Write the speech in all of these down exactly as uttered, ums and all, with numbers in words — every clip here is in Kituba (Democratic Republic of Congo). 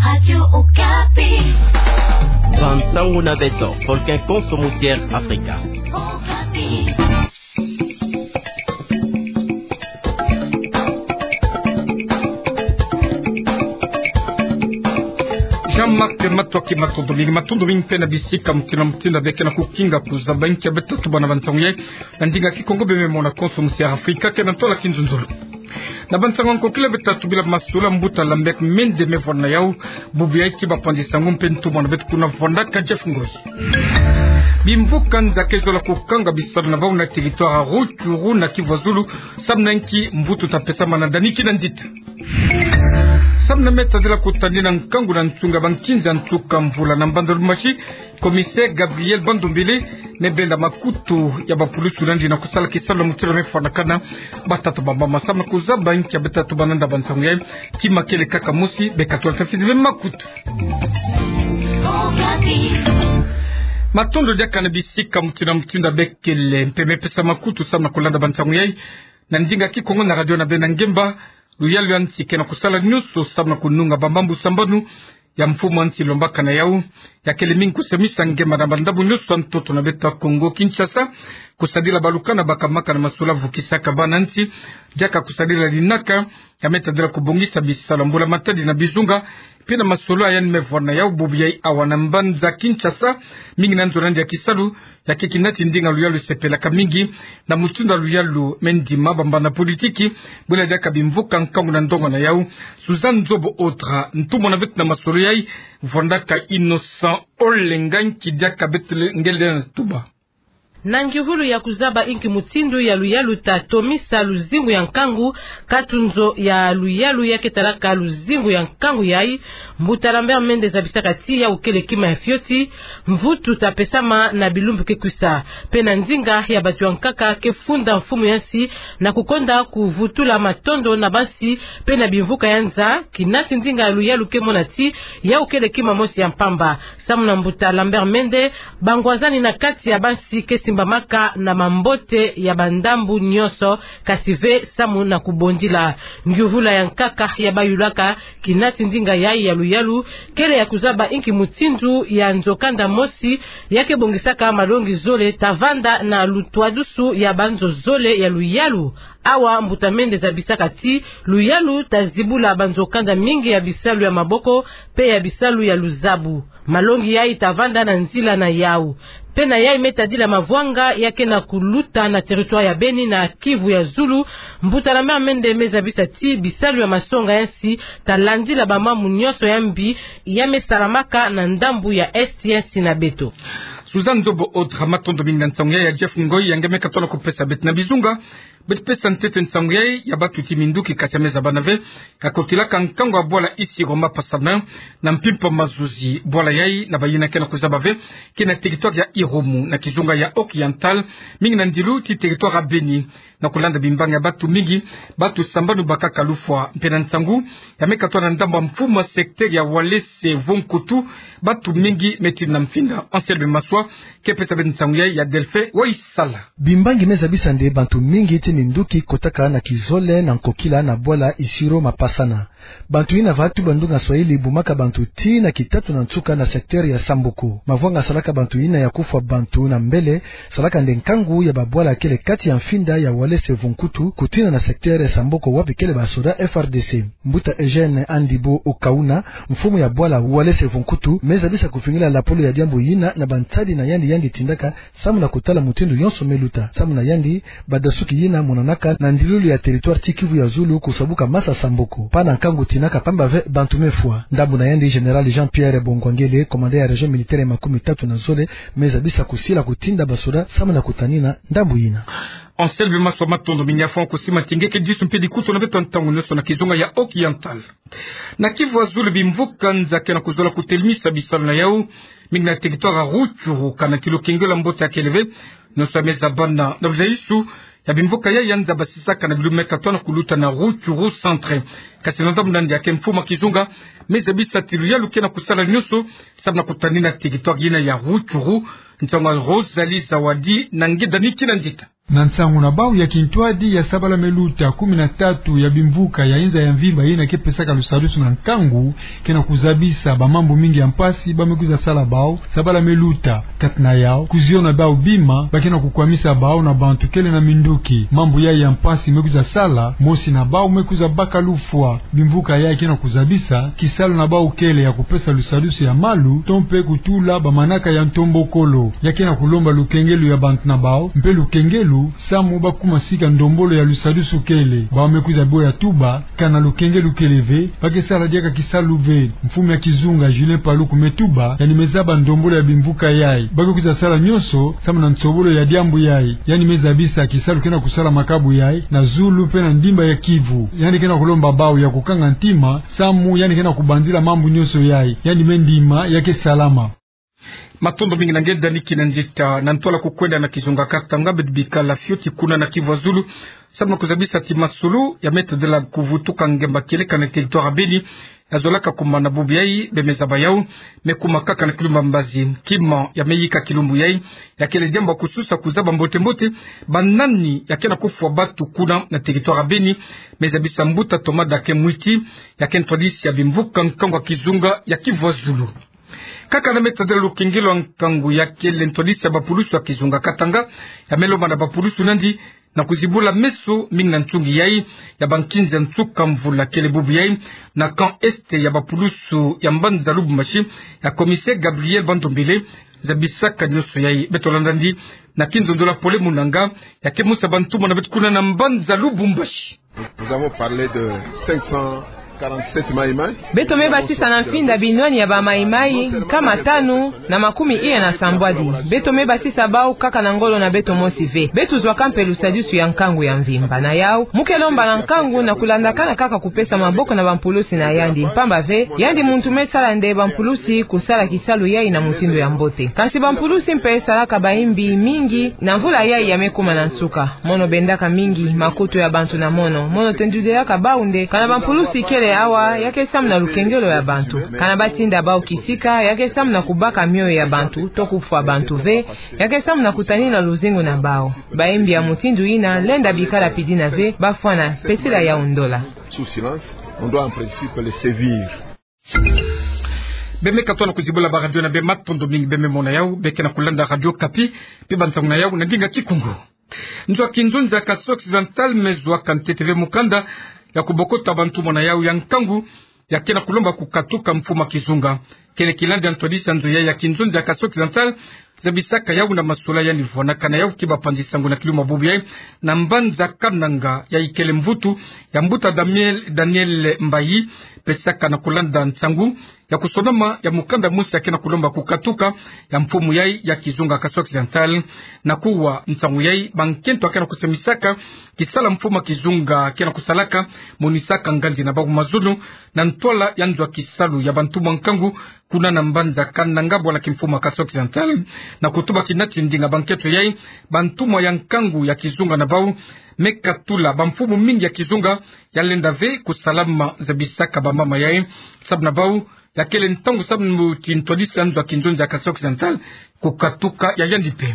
Radio Okapi. Bansango na beto, folke konso musi ya Afrika. Okapi. Jean-Marc Matoki, matondo mingi, matondo mingi mpe na bisika mutindu na mutindu beke na kukinga kuzaba inki ya beto tubana bansango yai. Na ndinga Kikongo bie me mona konso musi ya Afrika, ke na ntola kinzunzulu. Na bansango ya nkokila beto tubila masolo ya mbuta Lambert Mende me vwanda na yau, bubu yai ki bapanzi nsangu mpe ntumwa na beto kuna vwanda ka Jeff Ngozi. Bimvuka nza ke zola kukanga bisalu na bau na territoire ya Rutshuru na Kivu ya Zulu, samu na inki mvutu ta pesama na dani kina nzita. Samu na me tadila kutanina nkangu na nsunga bankinza nsuka mvula na mbanza Lubumbashi, commissaire Gabriel Bandombele me benda makutu ya bapulusu na yandi na kusala kisalu na mutindu me fwanakana batata bambama. Samu na kuzaba inki ya beto tubana nda bansango yai, kima kele kaka mosi, beka twala tafizi be makutu. Matondo diaka na bisika mutindu na mutindu bekele mpe me pesa makutu samu na kulanda bansango yai. Na ndinga Kikongo na radio na beno ngemba, luyalu ya nsi ke na kusala nyonso samu na kununga bamambu sambanu ya mfumu ya nsi lombaka na yau, ya kele mingi kusemisa ngemba na bandambu nyonso ya ntoto na beto ya Kongo Kinshasa, kusadila baluka na bakamaka na masolo ya vukisaka bana nsi, diaka kusadila linaka ya me tadila kubongisa bisalu ya mbula matadi na bizunga, mpe na masolo ya yandi me vwanda na yau bubu yai awa na mbanza Kinshasa, mingi na nzo na yandi ya kisalu, ya ke kinati ndinga luyalu sepelaka mingi na mutindu ya luyalu me ndima bambanda politiki, bwela diaka bimvuka nkangu na ndonga na yau. Suzanne Nzobo Otra, ntumwa na beto na masolo yai, vwandaka Innocent Olenga, nki diaka beto le ngele na tuba. Na ngihulu ya kuzaba inki mutindu ya luyalu ta tomisa luzingu ya nkangu, katunzo ya luyalu ya ke talaka luzingu ya nkangu yai, mbuta Lambert Mende zabisaka ti yau kele kima ya fioti, mvutu ta pesama na bilumbu ke kwisa. Mpe na ndinga ya bato ya nkaka ke funda mfumu ya nsi na kukonda kuvutula matondo na bansi mpe na bimvuka ya nza, kinati ndinga ya luyalu ke mona ti yau kele kima mosi ya mpamba. Samu na mbuta Lambert Mende, bangwazani na kati ya bansi ke simbamaka na mambote ya bandambu nyonso, kasi ve samu na kubondila. Nguvula ya nkaka ya bayulaka kinati ndinga yai ya luyalu kele ya kuzaba inki mutindu ya nzokanda mosi ya ke bongisaka malongi zole ta vanda na lutwadusu ya banzo zole ya luyalu. Awa mbuta Mende zabisaka ti luyalu ta zibula banzokanda mingi ya bisalu ya maboko mpe ya bisalu ya luzabu. Malongi yai ta vanda na nzila na yau. Mpe na yai me tadila mavwanga ya ke na kuluta na territoire ya Beni na Kivu ya Zulu, mbuta Lambert Mende me zabisa ti bisalu ya masonga ya nsi ta landila bamambu nyonso ya mbi ya me salamaka na ndambu ya Est ya nsi na beto. Suzanne Nzobo Otra, matondo mingi na nsangu yai ya Jeff Ngoyi, ya nge me katono kupesa beto na bizunga. Beto pesa ntete nsangu yai ya batuti minduki kati ya meza bana ve, ya kotilaka nkangu ya bwala Isiro Mapasana na mpimpa Mazuzi. Bwala yai na bayina ke na kuzaba ve, ke na territoire ya Irumu na kizunga ya Oriental, mingi na ndilu ti territoire ya Beni. Na kulanda bimbangi ya batu mingi, batu sambanu bakaka lufwa. Mpe na nsangu ya me katono na ndambu ya mfumu ya secteur ya Walese Vonkutu, batu mingi me tinda mfinda. Anselme Maswa ke pesa beto nsangu yai ya Delphin Waisala. Bimbangi me zabisa nde bantu mingi ti minduki kotaka na kizole na nkokila na bwala Isiro Mapasana. Bantu yina va tuba ndunga Swahili bumaka bantu tii na kitatu na nsuka na secteur ya Sambuku. Mavwanga salaka bantu yina ya kufwa bantu na mbele, salaka nde nkangu ya babwala kele kati ya mfinda ya Walese Vonkutu, kutina na secteur ya Sambuku wapi kele basoda F R D C. Mbuta Eugène Andibo Okauna, mfumu ya bwala Walese Vonkutu, me zabisa kuvingila lapolo ya diambu yina na bansadi na yandi yandi tindaka, samu na kutala mutindu yonso me luta. Samu na yandi, badasuki yina monanaka na ndilulu ya territoire ti Kivu ya Zulu kusabuka masa Sambuku. Pana nkangu tinaka pamba ve bantu me fwa. Ndambu na yandi, Général Jean-Pierre Bongwangele, commandant ya région militaire ya makumi tatu na zole, me zabisa kusila kutinda basoda samu na kutanina ndambu yina. Anselme Maswa, matondo mingi ya fwa kusima ti nge ke disu mpe dikutu na beto ntangu nyonso na kizunga ya Oriental. Na Kivu ya Zulu, bimvuka nza ke na kuzola kutelemisa bisalu na yau, mingi na territoire ya Rutshuru, kana ti lukengelo ya mbote ya kele ve. Nyonso ya me zabana na luzaisu ya bimvuka yai, ya nza basisaka na bilume katwa na kuluta na Rutshuru centre. Kasi na ndambu na yandi ya ke mfumu ya kizunga, me zabisa ti luyalu ke na kusala nyonso samu na kutanina territoire yina ya Rutshuru. Nsangu ya Rosalie Zawadi na nge dani kina nzita. Na nsangu na bau ya kintwadi ya sabala me luta kumi na tatu ya bimvuka ya inza ya mvimba yina ke pesaka lusadusu na nkangu, ke na kuzabisa bamambu mingi ya mpasi ba me kwiza sala bau. Sabala me luta kati na yau, kuziona bau bima ba ke na kukwamisa bau na bantu kele na minduki. Mambu yai ya mpasi me kwiza sala, mosi na bau me kwiza baka lufwa. Bimvuka yai ke na kuzabisa kisalu na bau kele ya kupesa lusadusu ya malu, to mpe kutula bamanaka ya ntombokolo. Ya ke na kulomba lukengelu ya bantu na bau, mpe lukengelu samu ba kuma sika ndombolo ya lusadusu kele. Bau me kwiza boya tuba, kana lukengelu kele ve, ba ke sala diaka kisalu ve. Mfumu ya kizunga Julien Paluku me tuba, yandi me zaba ndombolo ya bimvuka yai. Ba ke kwiza sala nyonso samu na nsobolo ya diambu yai. Yandi me zabisa kisalu ke na kusalamaka bu yai na zulu mpe na ndimba ya Kivu. Yandi ke na kulomba bau ya kukanga ntima, samu yandi ke na kubanzila mambu nyonso yai. Yandi me ndima ya ke salama. Matondo mingi na nge Dani Kinanzita. Na ntwala kukwenda na kizunga Katanga, beto bikala fioti kuna na Kivu ya Zulu, samu na kuzabisa ti masolo ya me tadila kuvutuka ngemba kieleka na territoire ya Beni, ya zolaka kuma na bubu yai, be me zaba yau, me kuma kaka na kilumbu ya mbazi. Kima ya me yika kilumbu yai, ya kele diambu ya kususa kuzaba mbote-mbote banani ya ke na kufwa batu kuna na territoire ya Beni. Me zabisa mbuta Thomas Dake Mwiti, ya ke ntwadisi ya bimvuka nkangu ya kizunga ya Kivu ya Zulu. Kaka na me tadila lukengelo ya nkangu, ya kele ntwadisi ya bapulusu ya kizunga Katanga, ya me lomba na bapulusu nandi na kuzibula meso mingi na nsungi yai ya bankinzi ya nsuka mvula kele bubu yai, na camp est ya bapulusu ya mbanza Lubumbashi, ya commissaire Gabriel Bandombele, zabisaka nyonso yai. Beto landa nandi na kinzonzolo ya Pole Munanga, ya ke musa bantumwa na beto kuna na mbanza Lubumbashi. Nous avons parlé de cinq cent quarante-sept Maï-Maï. Beto me basisa na mfinda binwani ya ba Maï-Maï nkama tanu na makumi iya na sambwadi. Beto me basisa bau kaka na ngolo na beto mosi ve. Beto zwaka mpe lusadusu ya nkangu ya mvimba. Na yau, mu ke lomba na nkangu na kulandakana kaka kupesa maboko na bampulusi na yandi. Mpamba ve, yandi muntu me sala nde bampulusi kusala kisalu yai na mutindu ya mbote. Kansi bampulusi mpe salaka bayimbi mingi na mvula yai ya me kuma na nsuka. Mono bendaka mingi makutu ya bantu na mono. Mono tendudilaka bau nde kana bampulusi kele awa, ya ke samu na lukengelo ya bantu. Kana batinda bau kisika, ya ke samu na kubaka mioyo ya bantu, to kufwa bantu ve, ya ke samu na kutanina luzingu na bau. Bayimbi ya mutindu yina, lenda bikala pidina ve, bafwana, pesila yau ndola. Sous silence, on doit en principe les sévir. Be me katuka na kuzibula baradio na be, matondo mingi. Be me mona yau, be ke na kulanda Radio Okapi, mpe bantangu na yau na ndinga Kikongo. Nzo ya kinzonzi ya Kasaï Occidental me zwaka ntete ve mukanda ya kubokota bantumwa na yau ya nkangu, ya ke na kulomba kukatuka mfumu ya kizunga. Kele kilandi ya ntwadisi ya nzo yai ya kinzonzi ya Kasaï Occidental, zabisaka yau na masolo yandi vwanaka na yau ki bapanzi sango na kilumbu ya bubu yai, na mbanza Kananga, yai kele mvutu ya mbuta Daniel, Daniel Mbayi, pesaka na kulanda nsangu ya kusonama ya mukanda mosi ya ke na kulomba kukatuka ya mfumu yai ya kizunga Kasaï Occidental. Na kuwa nsangu yai, bankento ya ke na kusambisaka kisala mfumu ya kizunga ke na kusalaka, monisaka nganzi na bau mazono na ntwala ya nzo ya kisalu ya bantumwa nkangu kuna na mbanza Kananga, bwala kimfumu ya Kasaï Occidental. Na kutuba kina ti ndinga bankento yai, bantumwa ya nkangu ya kizunga na bau me katula bamfumu mingi ya kizunga ya lenda ve kusalama, zabisaka bamama yai. Samu na bau, ya kele ntangu samu ti ntwadisi ya nzo ya kinzonzi ya Kasaï Occidental kukatuka ya yandi mpe.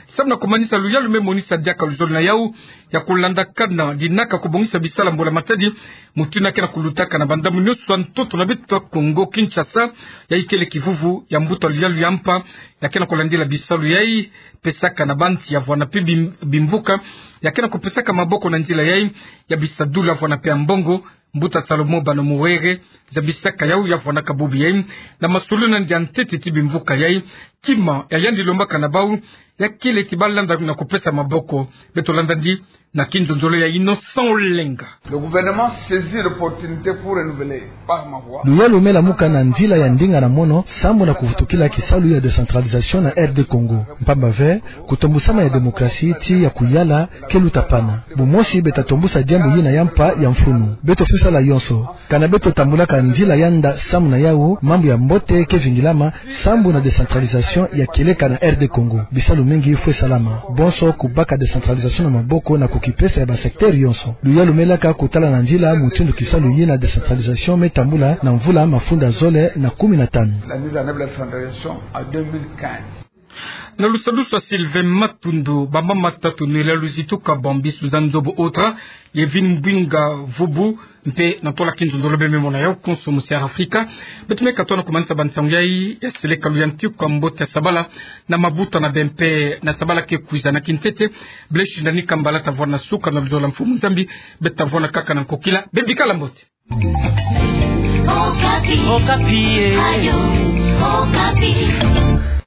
Samu na kumanisa, luyalu me monisa diaka luzolo na yau ya kulandakana dinaka kubongisa bisala mbula matadi, mutindu yina ke na kulutaka na bandambu nyonso ya ntoto na beto ya Kongo Kinshasa. Yai kele kivuvu ya mbuta luyalu ya mpa ya ke na kulandila bisalu yai, pesaka na bansi ya vwana mpe bim-, bimvuka ya ke na kupesaka maboko na nzila yai ya bisadula vwana mpe ya mbongo. Mbuta Salomon Bano Mouwere zabisaka yau, ya vwanaka bubu yai na masolo na ndia ntete ti bimvuka yai. Kima ya yandi lombaka na bau, ya kele ti balanda na kupesa maboko. Beto landa nandi na kinzonzolo ya Innocent Olenga. Le gouvernement saisit l'opportunité pour renouveler par ma voix. Luyalu me lamuka na nzila ya ndinga na mono, sambu na kuvutukila kisalu ya décentralisation na R D Congo. Mpamba ve, kutombusama ya démocratie ti ya kuyala ke luta pana. Bumosi beto ta tombusa diambu yina ya mpa ya mfunu. Beto fwe sala yonso. Kana beto tambulaka nzila ya nda, samu na yau mambu ya mbote ke vingilama, sambu na décentralisation ya kieleka na R D Congo. Bisalu mingi fwe salama. Bonso kubaka décentralisation na maboko na kukipesa ya ba secteur yonso. Luyalu me laka kutala na nzila mutindu kisalu yina décentralisation me tambula na mvula mafunda zole na kumi na tanu. La mise en œuvre de la décentralisation en deux mille quinze. Na lusadusu a Sylvain Matundu, bambamba tatu nela luzitu ka bambi Suzanne Nzobo Otra, Yevin Mbinga Vubu, mpe na tola ki nzonzolo beme mona ya ukonso mu Sierra Africa. Beto me katoa na kumanisa bansangu yai, ya seleka luyanti kwa mbote ya sabala, na mabuta na bempe na sabala ke kwiza na kintete, bele shinda ni kambala ta vwanda suka na luzola mfumu Nzambi, beta vwanda kaka na nkokila, bebikala mbote. Okapi. Okapi, eh. Radio Okapi.